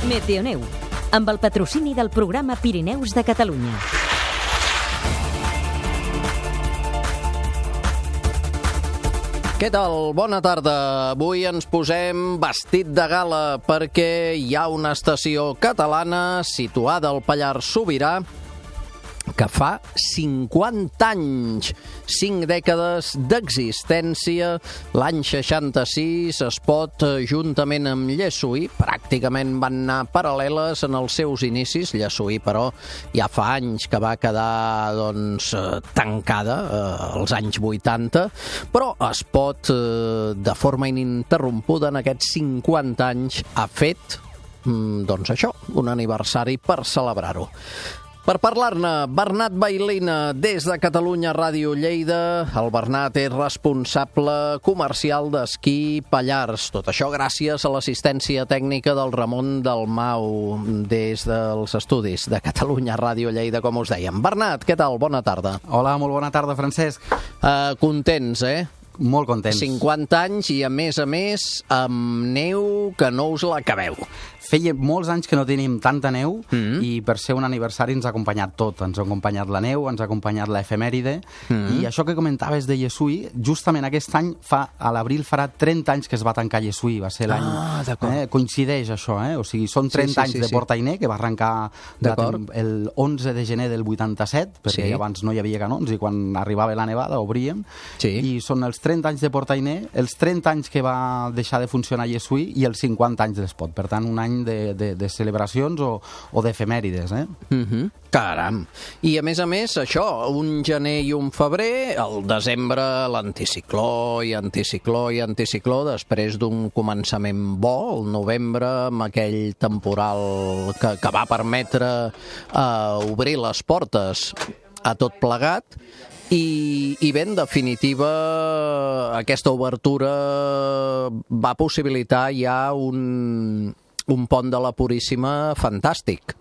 Meteoneu, amb el patrocini del programa Pirineus de Catalunya. Què tal? Bona tarda. Avui ens posem vestit de gala perquè hi ha una estació catalana situada al Pallars Sobirà que fa 50 anys, 5 dècades d'existència. L'any 66 Espot, juntament amb Llessui, pràcticament van anar paral·leles en els seus inicis. Llessui, però, ja fa anys que va quedar tancada, als anys 80, però Espot, de forma ininterrompuda en aquests 50 anys, ha fet, això, un aniversari per celebrar-ho. Per parlar-ne, Bernat Bailina, des de Catalunya Ràdio Lleida. El Bernat és responsable comercial d'Esquí Pallars. Tot això gràcies a l'assistència tècnica del Ramon Dalmau, des dels estudis de Catalunya Ràdio Lleida, com us dèiem. Bernat, què tal? Bona tarda. Hola, molt bona tarda, Francesc. Contents, eh? Molt contents. 50 anys i, a més, amb neu que no us l'acabeu. Feia molts anys que no tenim tanta neu i per ser un aniversari ens ha acompanyat tot. Ens ha acompanyat la neu, ens ha acompanyat l'efemèride i això que comentaves de Llessui, justament aquest any, a l'abril farà 30 anys que es va tancar Llessui. Va ser l'any... Coincideix això, O sigui, són 30 anys de Portainer, que va arrencar el 11 de gener del 87, perquè abans no hi havia canons i quan arribava la nevada obríem. I són els 30 anys de Portainer, els 30 anys que va deixar de funcionar Llessui i els 50 anys d'Espot. Per tant, un any de celebracions o d'efemèrides, Caram! I a més, això, un gener i un febrer, el desembre l'anticicló i anticicló, després d'un començament bo, el novembre, amb aquell temporal que va permetre obrir les portes a tot plegat. I bé, en definitiva, aquesta obertura va possibilitar ja un pont de la Puríssima fantàstic.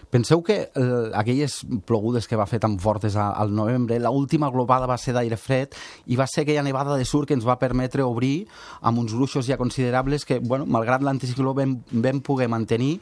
Penseu que aquelles plogudes que va fer tan fortes al novembre, l'última glopada va ser d'aire fred i va ser aquella nevada de surt que ens va permetre obrir amb uns gruixos ja considerables que, malgrat l'anticicló, vam poder mantenir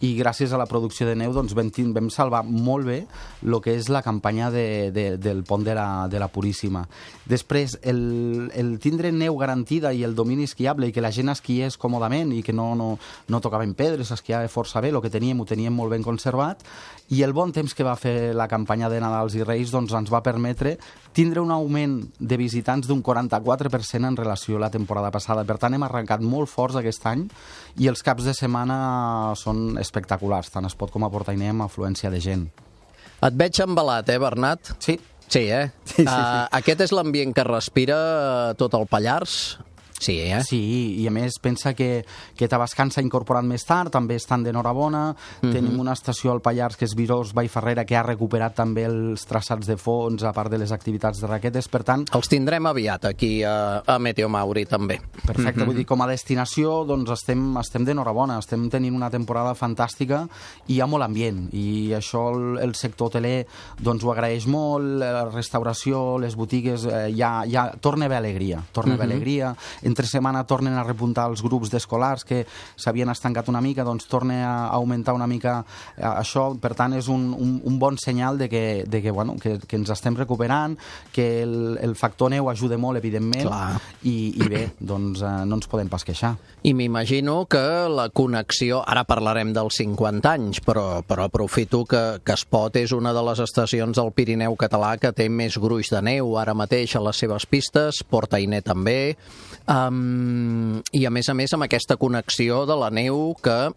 i gràcies a la producció de neu vam salvar molt bé el que és la campanya del pont de la Puríssima. Després, el tindre neu garantida i el domini esquiable i que la gent esquiés còmodament i que no tocaven pedres, esquiava força bé, el que teníem ho teníem molt ben conservat, i el bon temps que va fer la campanya de Nadals i Reis ens va permetre tindre un augment de visitants d'un 44% en relació a la temporada passada. Per tant, hem arrencat molt forts aquest any i els caps de setmana són espectaculars, tant Espot com a Portainer, amb afluència de gent. Et veig embalat, Bernat? Sí. Sí, Sí. Aquest és l'ambient que respira tot el Pallars? Sí, Sí, i a més pensa que Tavascan s'ha incorporat més tard, també estan d'enhorabona, tenim una estació al Pallars que és Virós Vallferrera que ha recuperat també els traçats de fons a part de les activitats de raquetes, per tant... Els tindrem aviat aquí a Meteo Mauri també. Perfecte, vull dir, com a destinació estem d'enhorabona, estem tenint una temporada fantàstica i hi ha molt ambient i això el sector hoteler ho agraeix molt, la restauració, les botigues, ja torna a haver alegria, entre setmana tornen a repuntar els grups d'escolars que s'havien estancat una mica, torna a augmentar una mica això, per tant és un bon senyal de que ens estem recuperant, que el factor neu ajuda molt, evidentment, i bé, no ens podem pas queixar. I m'imagino que la connexió, ara parlarem dels 50 anys, però aprofito que Espot és una de les estacions del Pirineu català que té més gruix de neu ara mateix a les seves pistes, Portainer també, i a més amb aquesta connexió de la neu que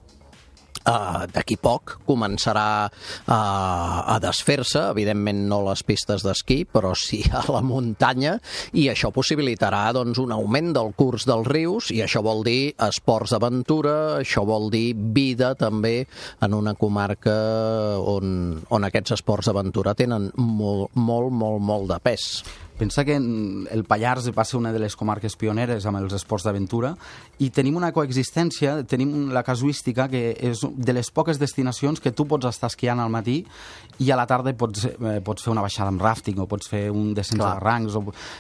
d'aquí poc començarà a desfer-se, evidentment no les pistes d'esquí, però sí a la muntanya, i això possibilitarà un augment del curs dels rius, i això vol dir esports d'aventura, això vol dir vida també en una comarca on aquests esports d'aventura tenen molt de pes. pensa que el Pallars va ser una de les comarques pioneres amb els esports d'aventura i tenim una coexistència, tenim la casuística que és de les poques destinacions que tu pots estar esquiant al matí i a la tarda pots fer una baixada amb rafting o pots fer un descens de barrancs.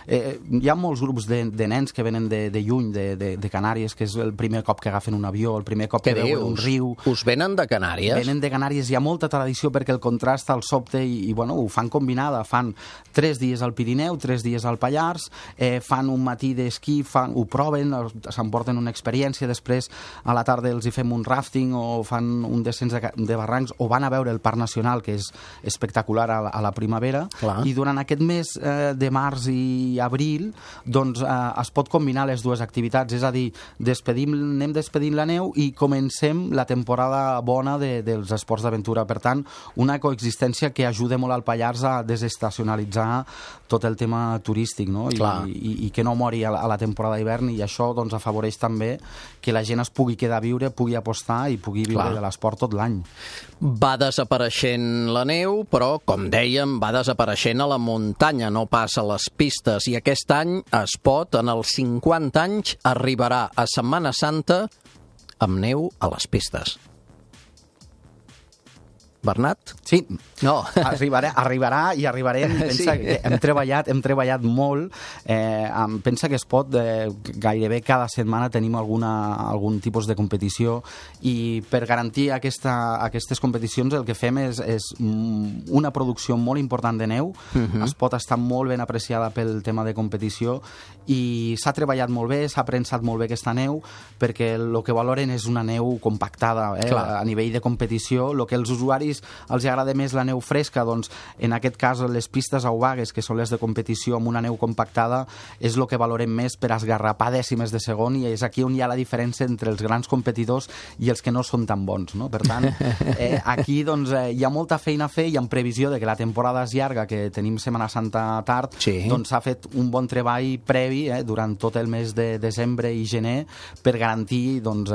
Hi ha molts grups de nens que venen de lluny, de Canàries, que és el primer cop que agafen un avió, el primer cop que veuen un riu. Us venen de Canàries? Venen de Canàries, hi ha molta tradició perquè el contrast al sobte i bueno, ho fan combinada, fan 3 dies al Pirineu, 3 dies al Pallars, fan un matí d'esquí, ho proven, s'emporten una experiència, després a la tarda els hi fem un rafting o fan un descens de barrancs o van a veure el Parc Nacional, que és espectacular a la primavera. Clar. I durant aquest mes de març i abril doncs es pot combinar les dues activitats, és a dir, anem despedint la neu i comencem la temporada bona dels esports d'aventura. Per tant, una coexistència que ajuda molt al Pallars a desestacionalitzar tot el tema turístic, no? I que no mori a la temporada d'hivern, i això doncs afavoreix també que la gent es pugui quedar a viure, pugui apostar i pugui viure de l'esport tot l'any. Va desapareixent la neu, però, com dèiem, va desapareixent a la muntanya, no pas a les pistes. I aquest any es pot, en els 50 anys, arribarà a Setmana Santa amb neu a les pistes. Bernat? Sí, no. arribarà i arribarem. Pensa que hem treballat molt. Pensa que es pot, gairebé cada setmana tenim algun tipus de competició, i per garantir aquestes competicions el que fem és una producció molt important de neu. Es pot estar molt ben apreciada pel tema de competició i s'ha treballat molt bé, s'ha prensat molt bé aquesta neu, perquè el que valoren és una neu compactada a nivell de competició. El que els usuaris els agrada més la neu fresca, doncs en aquest cas les pistes aubagues, que són les de competició amb una neu compactada, és el que valorem més per esgarrapar dècimes de segon, i és aquí on hi ha la diferència entre els grans competidors i els que no són tan bons, no? Per tant, aquí doncs hi ha molta feina a fer, i en previsió de que la temporada és llarga, que tenim Setmana Santa tard, doncs s'ha fet un bon treball previ durant tot el mes de desembre i gener per garantir doncs,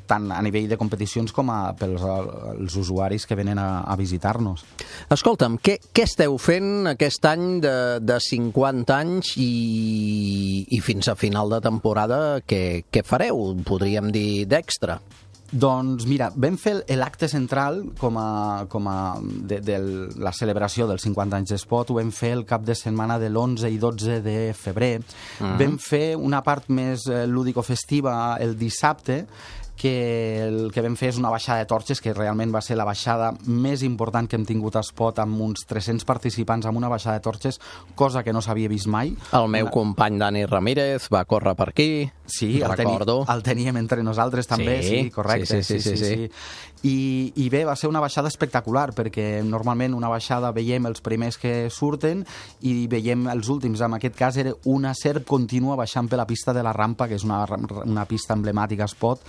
tant a nivell de competicions com pels usuaris que venen a visitar-nos. Escolta'm, què esteu fent aquest any de 50 anys i fins a final de temporada? Què fareu, podríem dir, d'extra? Doncs mira, vam fer l'acte central de la celebració dels 50 anys d'Espot, ho vam fer el cap de setmana de l'11 i 12 de febrer. Vam fer una part més lúdico-festiva el dissabte, que el que vam fer és una baixada de torxes, que realment va ser la baixada més important que hem tingut a Espot, amb uns 300 participants amb una baixada de torxes, cosa que no s'havia vist mai. El meu company Dani Ramírez va córrer per aquí, recordo. El teníem entre nosaltres també, sí, correcte. Sí. I bé, va ser una baixada espectacular, perquè normalment una baixada veiem els primers que surten i veiem els últims. En aquest cas era una serp contínua baixant per la pista de la rampa, que és una pista emblemàtica a Espot,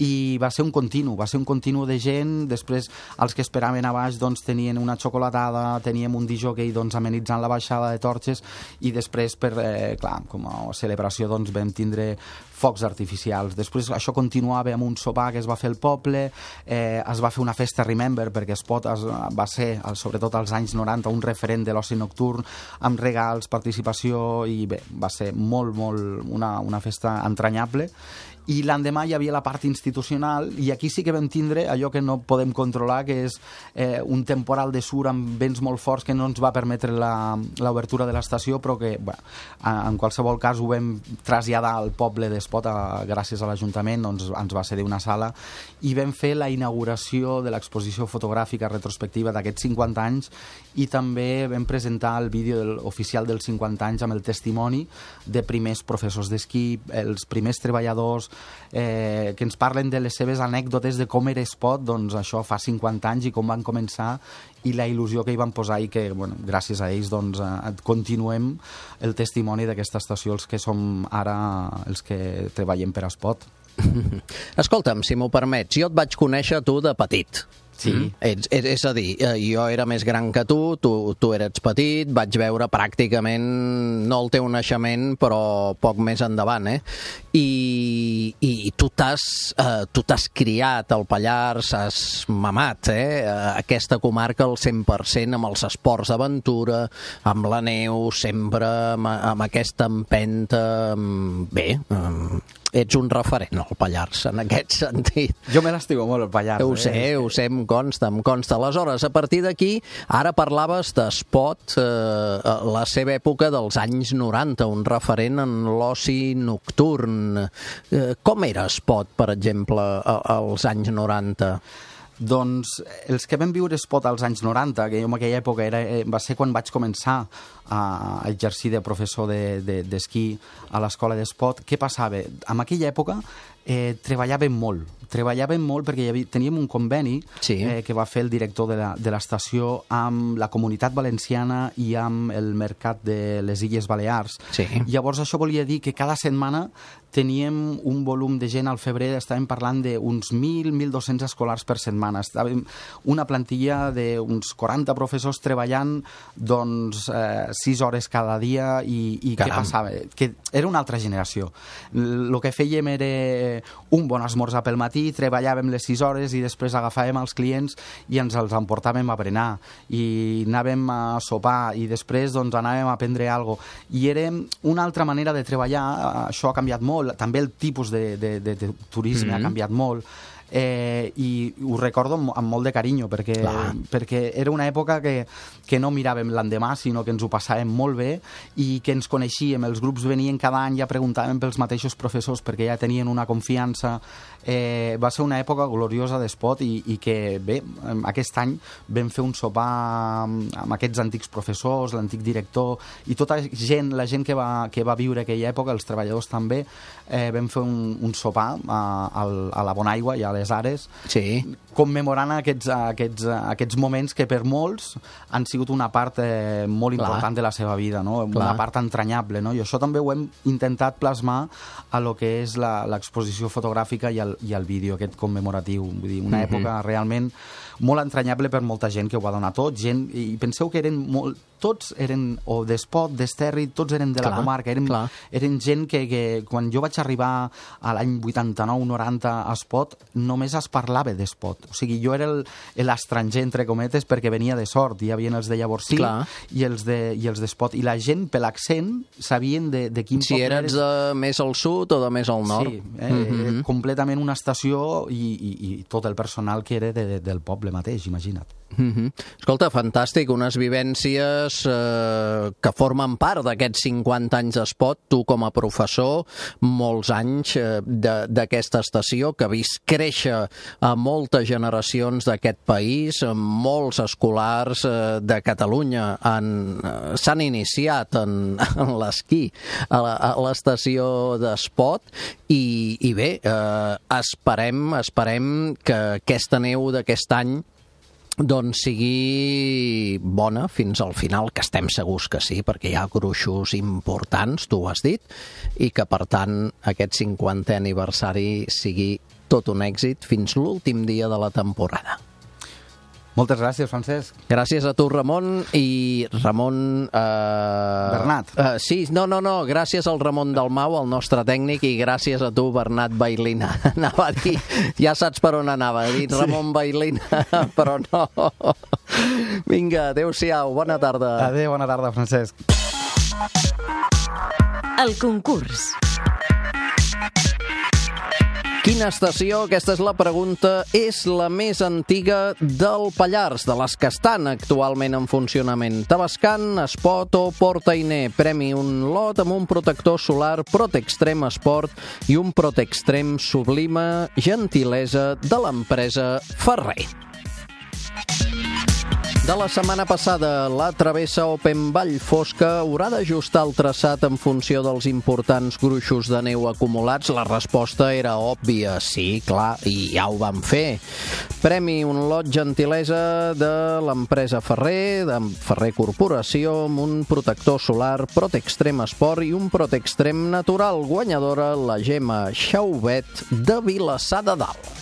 i va ser un continu de gent. Després els que esperaven a baix doncs tenien una xocolatada, teníem un disjockey doncs amenitzant la baixada de torxes, i després com a celebració doncs vam tindre focs artificials. Després això continuava amb un sopar que es va fer al poble, es va fer una festa Remember, perquè Espot va ser, sobretot als anys 90, un referent de l'oci nocturn, amb regals, participació, i bé, va ser molt una festa entranyable. I l'endemà hi havia la part institucional, i aquí sí que vam tindre allò que no podem controlar, que és un temporal de sur amb vents molt forts que no ens va permetre l'obertura de l'estació, però que en qualsevol cas ho vam traslladar al poble d'Espot, gràcies a l'Ajuntament, doncs ens va cedir una sala, i vam fer la inauguració de l'exposició fotogràfica retrospectiva d'aquests 50 anys, i també vam presentar el vídeo oficial dels 50 anys amb el testimoni de primers professors d'esquí, els primers treballadors, que ens parlen de les seves anècdotes de com era Espot, doncs això fa 50 anys, i com van començar, i la il·lusió que hi van posar, i que gràcies a ells doncs continuem el testimoni d'aquesta estació, els que som ara els que treballem per Espot. Escolta'm, si m'ho permets, jo et vaig conèixer tu de petit. Sí. És a dir, jo era més gran que tu eres petit, vaig veure pràcticament, no el teu naixement, però poc més endavant, I tu t'has criat al Pallars, has mamat, aquesta comarca al 100% amb els esports d'aventura, amb la neu, sempre amb aquesta empenta, ets un referent al Pallars, en aquest sentit. Jo me l'estimo molt, el Pallars. Ho sé, em consta. Aleshores, a partir d'aquí, ara parlaves d'Espot, la seva època dels anys 90, un referent en l'oci nocturn. Com era Espot, per exemple, als anys 90? Doncs els que vam viure Espot als anys 90, que jo en aquella època va ser quan vaig començar a exercir de professor d'esquí a l'escola d'Espot. Què passava? En aquella època treballàvem molt perquè teníem un conveni que va fer el director de l'estació amb la Comunitat Valenciana i amb el Mercat de les Illes Balears. Llavors això volia dir que cada setmana teníem un volum de gent al febrer, estàvem parlant d'uns 1.200 escolars per setmana. Estàvem una plantilla d'uns 40 professors treballant 6 hores cada dia i què passava? Que era una altra generació. El que fèiem era un bon esmorzar pel matí, treballàvem les 6 hores i després agafàvem els clients i ens els emportàvem a berenar i anàvem a sopar i després anàvem a prendre alguna cosa. I era una altra manera de treballar, això ha canviat molt, també el tipus de turisme ha canviat molt. I ho recordo amb molt de carinyo perquè era una època que no miràvem l'endemà, sinó que ens ho passàvem molt bé i que ens coneixíem, els grups venien cada any, ja preguntàvem pels mateixos professors perquè ja tenien una confiança. Va ser una època gloriosa d'Espot i que bé, aquest any vam fer un sopar amb aquests antics professors, l'antic director i tota la gent que va viure aquella època, els treballadors també, vam fer un sopar a la Bonaigua i a les Ares, commemorant aquests moments que per molts han sigut una part molt important de la seva vida, una part entranyable, i això també ho hem intentat plasmar a lo que és l'exposició fotogràfica i el vídeo aquest commemoratiu. Vull dir, una època realment molt entranyable per molta gent que ho va donar tot, i penseu que tots eren o d'Espot, d'Esterri, tots eren de la comarca, eren gent que quan jo vaig arribar a l'any 89-90 a Espot només es parlava d'Espot, o sigui, jo era l'estranger entre cometes perquè venia de Sort, hi havia els de Llavorsí i els d'Espot, i la gent per l'accent sabien de quin poble si eres de més al sud o de més al nord. Completament una estació i tot el personal que era del poble mateix, imagina't. Escolta, fantàstic, unes vivències que formen part d'aquests 50 anys d'Espot, tu com a professor, molts anys d'aquesta estació, que ha vist créixer a moltes generacions d'aquest país, molts escolars de Catalunya s'han iniciat en l'esquí a l'estació d'Espot i bé, esperem que aquesta neu d'aquest any sigui bona fins al final, que estem segurs que sí, perquè hi ha gruixos importants, tu ho has dit, i que per tant aquest 50è aniversari sigui tot un èxit fins l'últim dia de la temporada. Moltes gràcies, Francesc. Gràcies a tu, Ramon, i Ramon... Bernat. Sí, no, gràcies al Ramon Dalmau, el nostre tècnic, i gràcies a tu, Bernat Bailina. Anava a dir, ja saps per on anava, he dit Ramon Bailina, però no. Vinga, adéu-siau, bona tarda. Adéu, bona tarda, Francesc. El concurs. Quina estació, aquesta és la pregunta, és la més antiga del Pallars, de les que estan actualment en funcionament? Tavascan, Espot o Port-Ainé? Premi un lot amb un protector solar Protextrem Esport i un Protextrem Sublima, gentilesa de l'empresa Ferrer. De la setmana passada, la travessa Open Vall Fosca haurà d'ajustar el traçat en funció dels importants gruixos de neu acumulats? La resposta era òbvia, sí, clar, i ja ho vam fer. Premi un lot gentilesa de l'empresa Ferrer, de Ferrer Corporació, amb un protector solar Protextrem Esport i un Protextrem Natural. Guanyadora, la Gemma Xaubet de Vilassar de Dalt.